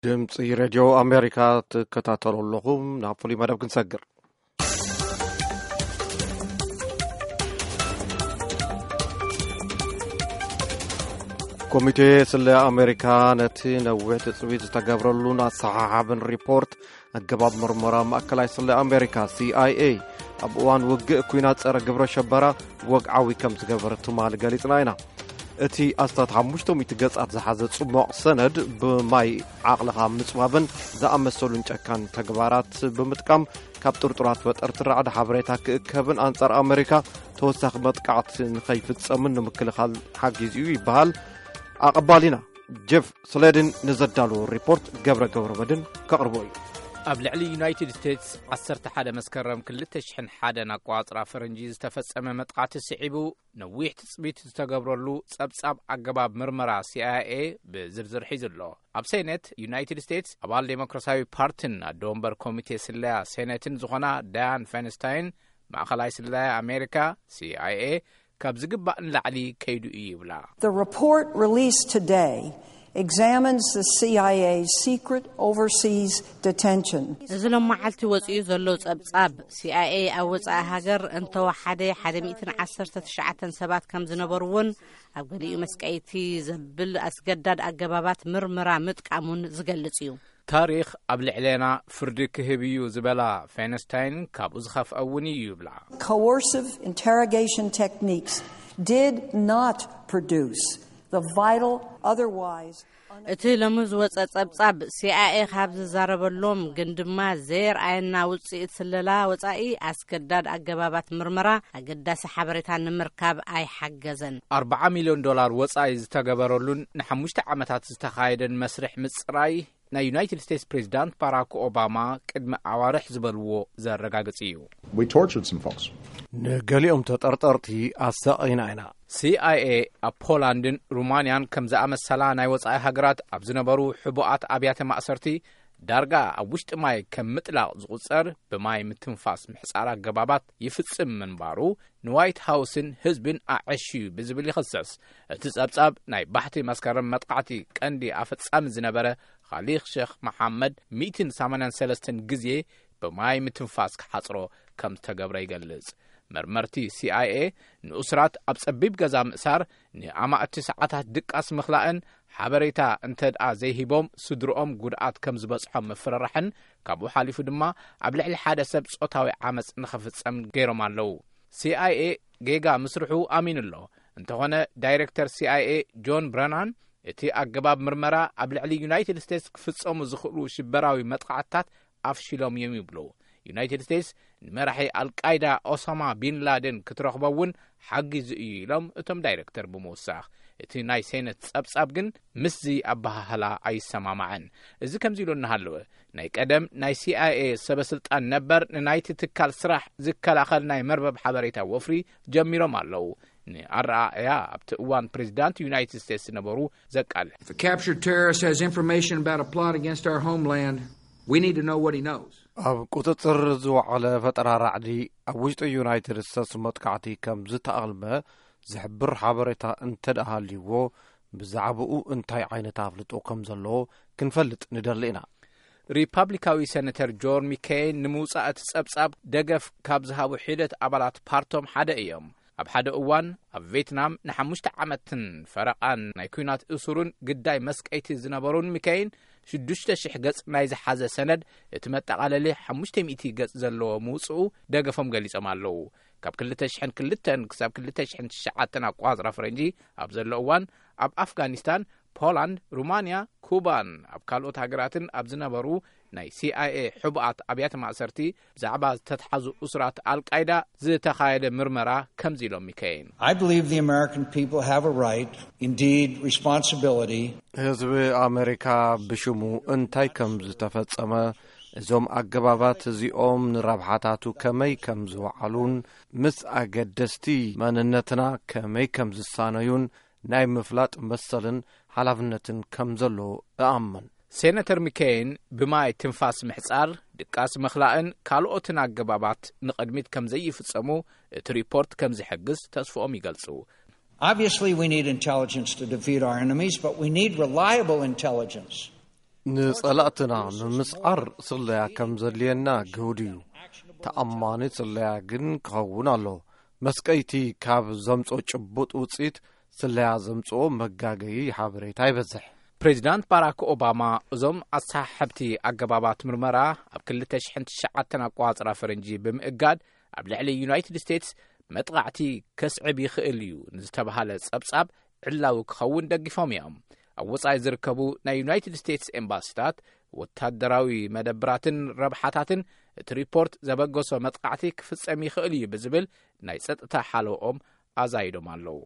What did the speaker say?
ድምፂ ሬድዮ ኣሜሪካ ትከታተሉ ኣለኹም። ናብ ፍሉይ መደብ ክንሰግር። ኮሚቴ ስለ ኣሜሪካ ነቲ ነዊሕ ትፅቢት ዝተገብረሉን ኣሰሓሓብን ሪፖርት ኣገባብ ምርመራ ማእከላይ ስለ ኣሜሪካ፣ ሲኣይኤ፣ ኣብ እዋን ውግእ ኩናት ጸረ ግብረ ሸበራ ወግዓዊ ከም ዝገበር ትማሊ ገሊጽና ኢና። እቲ ኣስታት ሓሙሽተ ሚእቲ ገጻት ዝሓዘ ጽሙቕ ሰነድ፣ ብማይ ዓቕልኻ ምጽባብን ዝኣመሰሉን ጨካን ተግባራት ብምጥቃም፣ ካብ ጥርጡራት ፈጠርቲ ራዕዲ ሓበሬታ ክእከብን ኣንጻር ኣሜሪካ ተወሳኺ መጥቃዕቲ ንኸይፍጸምን ንምክልኻል ሓጊዙ እዩ ይበሃል። ኣቐባሊና ጀፍ ስሌድን ንዘዳለዎ ሪፖርት ገብረ ገብረ መድን ከቕርቦ እዩ። ኣብ ልዕሊ ዩናይትድ ስቴትስ ዓሰርተ ሓደ መስከረም ክልተ ሽሕን ሓደን ኣቋጽራ ፈረንጂ ዝተፈጸመ መጥቃዕቲ ስዒቡ፣ ነዊሕ ትጽቢት ዝተገብረሉ ጸብጻብ ኣገባብ ምርመራ ሲኣይኤ ብዝርዝር ሒዙ ኣሎ። ኣብ ሴኔት ዩናይትድ ስቴትስ ኣባል ዴሞክራሲያዊ ፓርቲን ኣደ ወንበር ኮሚቴ ስለያ ሴኔትን ዝኾና ዳያን ፌንስታይን፣ ማእኸላይ ስለያ ኣሜሪካ፣ ሲኣይኤ፣ ካብ ዝግባእ ንላዕሊ ከይዱ እዩ ይብላ። The report released today examines the C I A's secret overseas detention. እዚ ሎመዓልቲ ወፂኡ ዘሎ ፀብፃብ፣ ሲኣይኤ ኣብ ወፃኢ ሃገር እንተወሓደ ሓደ ሚእትን ዓሰርተ ትሽዓተን ሰባት ከም ዝነበርዎን ኣብ ገሊኡ መስቀይቲ ዘብል ኣስገዳድ ኣገባባት ምርመራ ምጥቃሙን ዝገልጽ እዩ። ታሪኽ ኣብ ልዕሌና ፍርዲ ክህብ እዩ ዝበላ ፌንስታይን፣ ካብኡ ዝኸፍአ እውን እዩ ይብላ። Coercive interrogation techniques did not produce the vital, otherwise እቲ ሎሚ ዝወጸ ጸብጻብ፣ ሲኣይኤ ካብ ዝዛረበሎም ግን ድማ ዘየርኣየና ውጽኢት ስለላ ወጻኢ፣ ኣስገዳድ ኣገባባት ምርመራ ኣገዳሲ ሓበሬታ ንምርካብ ኣይሓገዘን። ኣርብዓ ሚልዮን ዶላር ወጻኢ ዝተገበረሉን ንሓሙሽተ ዓመታት ዝተኻየደን መስርሕ ምጽራይ፣ ናይ ዩናይትድ ስቴትስ ፕሬዚዳንት ባራክ ኦባማ ቅድሚ ኣዋርሕ ዝበልዎ ዘረጋግጽ እዩ። We tortured some folks. ንገሊኦም ተጠርጠርቲ ኣሳቒና ኢና። ሲኣይኤ ኣብ ፖላንድን ሩማንያን ከም ዝኣመሰላ ናይ ወጻኢ ሃገራት ኣብ ዝነበሩ ሕቡኣት ኣብያተ ማእሰርቲ፣ ዳርጋ ኣብ ውሽጢ ማይ ከም ምጥላቕ ዝቑጸር ብማይ ምትንፋስ ምሕጻር ኣገባባት ይፍጽም ምንባሩ ንዋይት ሃውስን ህዝብን ኣዐሽዩ ብዝብል ይኸሰስ። እቲ ጸብጻብ፣ ናይ ባሕቲ መስከረም መጥቃዕቲ ቀንዲ ኣፈጻሚ ዝነበረ ኻሊኽ ሼኽ መሓመድ ሚእትን ሰማንያን ሰለስተን ግዜ ብማይ ምትንፋስ ክሓጽሮ ከም ዝተገብረ ይገልጽ። መርመርቲ ሲኣይኤ፣ ንእሱራት ኣብ ጸቢብ ገዛ ምእሳር፣ ንኣማእቲ ሰዓታት ድቃስ ምኽላእን፣ ሓበሬታ እንተ ደኣ ዘይሂቦም ስድርኦም ጉድኣት ከም ዝበጽሖም ምፍርራሕን፣ ካብኡ ሓሊፉ ድማ ኣብ ልዕሊ ሓደ ሰብ ጾታዊ ዓመጽ ንኽፍጸም ገይሮም ኣለዉ። ሲኣይኤ ጌጋ ምስርሑ ኣሚኑ ኣሎ። እንተኾነ፣ ዳይሬክተር ሲኣይኤ ጆን ብረናን፣ እቲ ኣገባብ ምርመራ ኣብ ልዕሊ ዩናይትድ ስቴትስ ክፍጸሙ ዝኽእሉ ሽበራዊ መጥቓዕትታት ኣፍሺሎም እዮም ይብሉ። ዩናይትድ ስቴትስ ንመራሒ ኣልቃይዳ ኦሳማ ቢን ላደን ክትረኽቦ እውን ሓጊዙ እዩ ኢሎም እቶም ዳይሬክተር ብምውሳኽ፣ እቲ ናይ ሴነት ጸብጻብ ግን ምስዚ ኣበሃህላ ኣይሰማማዕን። እዚ ከምዚ ኢሉ እናሃለወ፣ ናይ ቀደም ናይ ሲኣይኤ ሰበ ስልጣን ነበር ንናይቲ ትካል ስራሕ ዝከላኸል ናይ መርበብ ሓበሬታ ወፍሪ ጀሚሮም ኣለዉ። ንኣረኣእያ ኣብቲ እዋን ፕሬዚዳንት ዩናይትድ ስቴትስ ዝነበሩ ዘቃልሕ። If a captured terrorist has information about a plot against our homeland, we need to know what he knows. ኣብ ቁጽጽር ዝወዓለ ፈጠራ ራዕዲ ኣብ ውሽጢ ዩናይትድ ስቴትስ መጥቃዕቲ ከም ዝተኣልመ ዝሕብር ሓበሬታ እንተ ደኣ ሃልይዎ፣ ብዛዕባኡ እንታይ ዓይነት ኣፍልጦ ከም ዘለዎ ክንፈልጥ ንደሊ ኢና። ሪፓብሊካዊ ሴነተር ጆን ሚኬን ንምውጻእ እቲ ጸብጻብ ደገፍ ካብ ዝሃቡ ሒደት ኣባላት ፓርቶም ሓደ እዮም። ኣብ ሓደ እዋን ኣብ ቬትናም ንሓሙሽተ ዓመትን ፈረቓን ናይ ኲናት እሱርን ግዳይ መስቀይቲ ዝነበሩን ሚኬን፣ ሽዱሽተ ሽሕ ገጽ ናይ ዝሓዘ ሰነድ፣ እቲ መጠቓለሊ ሓሙሽተ ሚእቲ ገጽ ዘለዎ ምውጽኡ ደገፎም ገሊጾም ኣለዉ። ካብ ክልተ ሽሕን ክልተን ክሳብ ክልተ ሽሕን ትሽዓተን ኣቋጽራ ፈረንጂ ኣብ ዘሎ እዋን፣ ኣብ ኣፍጋኒስታን፣ ፖላንድ፣ ሩማንያ፣ ኩባን ኣብ ካልኦት ሃገራትን ኣብ ዝነበሩ ናይ ሲኣይኤ ሕቡኣት ኣብያተ ማእሰርቲ ብዛዕባ ዝተትሓዙ እሱራት ኣልቃይዳ ዝተኻየደ ምርመራ ከምዚ ኢሎም ይከይን። I believe the American people have a right, indeed responsibility. ህዝቢ ኣሜሪካ ብሽሙ እንታይ ከም ዝተፈጸመ፣ እዞም ኣገባባት እዚኦም ንረብሓታቱ ከመይ ከም ዝወዓሉን ምስ ኣገደስቲ መንነትና ከመይ ከም ዝሳነዩን ናይ ምፍላጥ መሰልን ሓላፍነትን ከም ዘሎ እኣምን። ሴነተር ሚኬን ብማይ ትንፋስ ምሕጻር፣ ድቃስ ምኽላእን ካልኦትን ኣገባባት ንቕድሚት ከም ዘይፍጸሙ እቲ ሪፖርት ከም ዝሕግዝ ተስፍኦም ይገልጹ። Obviously, we need intelligence to defeat our enemies, but we need reliable intelligence ንጸላእትና ንምስዓር ስለያ ከም ዘድልየና ግሁድ እዩ። ተኣማኒ ስለያ ግን ክኸውን ኣሎ። መስቀይቲ ካብ ዘምጾ ጭቡጥ ውጽኢት ስለያ ዘምጽኦ መጋገዪ ሓበሬታ ይበዝሕ። ፕሬዚዳንት ባራክ ኦባማ እዞም ኣሰሓሕብቲ ኣገባባት ምርመራ ኣብ ክልተ ሽሕን ትሽዓተን ኣቆጻጽራ ፈረንጂ ብምእጋድ ኣብ ልዕሊ ዩናይትድ ስቴትስ መጥቓዕቲ ከስዕብ ይኽእል እዩ ንዝተባሃለ ጸብጻብ ዕላዊ ክኸውን ደጊፎም እዮም። ኣብ ወጻኢ ዝርከቡ ናይ ዩናይትድ ስቴትስ ኤምባሲታት፣ ወታደራዊ መደብራትን ረብሓታትን እቲ ሪፖርት ዘበገሶ መጥቓዕቲ ክፍጸም ይኽእል እዩ ብዝብል ናይ ጸጥታ ሓለኦም ኣዛይዶም ኣለዉ።